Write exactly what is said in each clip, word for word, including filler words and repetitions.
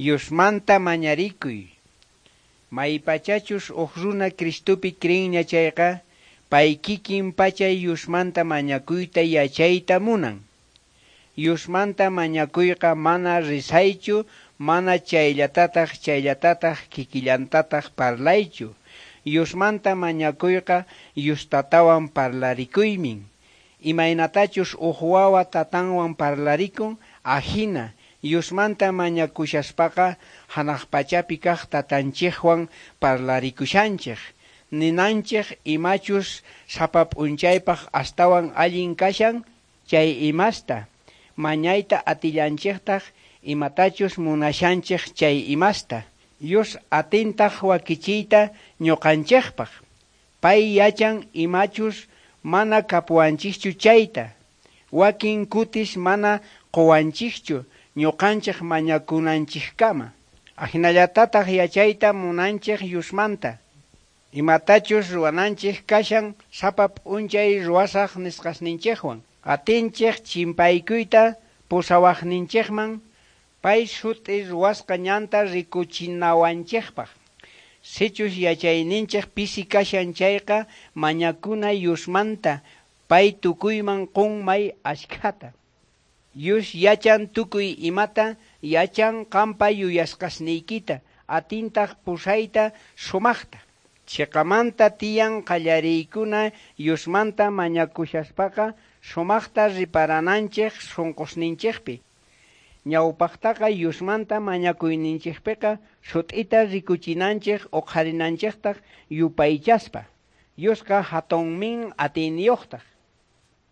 Diosmanta mañarikuy. Maypachachus uj runa Cristopi creenña chayqa, pay kikin pacha Diosmanta mañakuyta yachayta munan. Diosmanta mañakuyqa mana rezaychu, mana chayllatataj chayllatataj kikillantataj parlaychu. Diosmanta mañakuyqa Dios Tatawan parlarikuymin, imaynatachus uj wawa tatanwan parlarikun, ajina. Diosmanta mañakushaspaqa janaj pachapi kaj Tatanchejwan parlarikushanchej. Ninanchej imachus sapa p'unchaypaj astawan allin kashan, chay imasta. Mañayta atillanchejtaj imatachus munashanchej chay imasta. Dios atintaj wakichiyta ñoqanchejpaj. Pay yachan imachus mana kapuwanchejchu chayta. Wakin kutis mana qowanchejchu ñoqanchej mañakunanchejkama. Ajinallatataj yachayta munanchej Diosmanta. Imatachus ruwananchej kashan sapa p'unchay ruwasaj nisqasninchejwan. Atinchej chimpaykuyta pusawajninchejman, pay sut'i ruwasqa ñanta rikuchinawanchejpaj. Sichus yachayninchej pisi kashan chayqa, mañakuna Diosmanta, pay tukuyman qon may ashkhata. Dios yachan tukuy imata, yachan qampa yuyasqasniykita, atintaj pusayta sumajta. Cheqamanta tiyan qallariykuna Diosmanta mañakushaspaqa sumajta riparananchej sunqusninchejpi. Ñawpajtaqa Diosmanta mañakuyninchejpiqa sut'ita rikuchinanchej uqharinanchejtaj yupaychaspa. Diosqa hatunmin atiyniyuqtaj.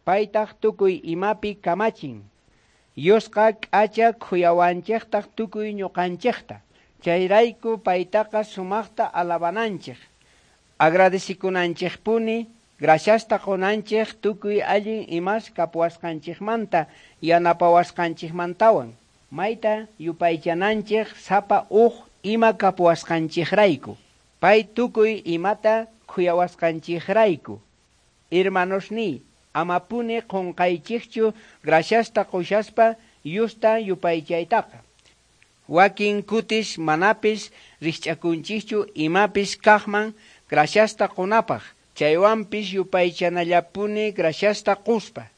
Paytaj tukuy imapi kamachin. Diosqa k'acha khuyawanchejtaj tukuy ñuqanchejta. Chayrayku paytaqa sumajta alabananchej. Agradecikunanchejpuni, graciasta qunanchej tukuy allin imas kapuwasqanchejmanta yanapawasqanchejmantawan. Mayta yupaychananchej sapa uj ima kapuwasqanchejrayku. Pay tukuy imata khuyawasqanchejrayku. Hermanosniy, amapuni qunqaychejchu graciasta qushaspa Diosta yupaychaytaqa. Wakin kutis manapis rijch'akunchikchu imapis kajman graciasta qunapaj, chaywanpis yupaychanallapuni graciasta quspa.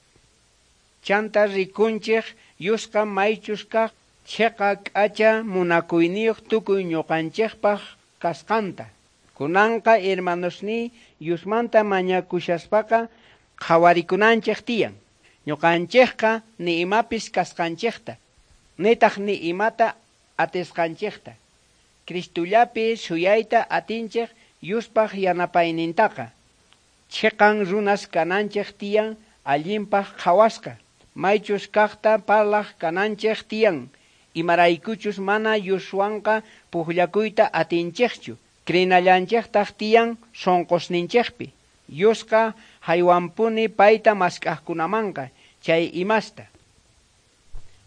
Chanta rikunchej Diosqa maychus kaj cheqa k'acha munakuyniyuq tukuy ñuqanchejpaj kasqanta. Kunanqa hermanosniy Diosmanta mañakushaspaqa qhawarikunanchej tiyan. Ñuqanchejqa ni imapis kasqanchejta, nitaj ni imata atisqanchejta. Cristollapi suyayta atinchej Diospaj yanapaynintaqa. Cheqan runas kananchej tiyan allinpaj qhawasqa. Maychus kajta parlaj kananchej tiyan. Imaraykuchus mana Dioswanqa pujllakuyta atinchejchu. Crinallanchejtaj tiyan sunqusninchejpi. Diosqa haywanpuni payta mask'ajkunamanqa chay imasta.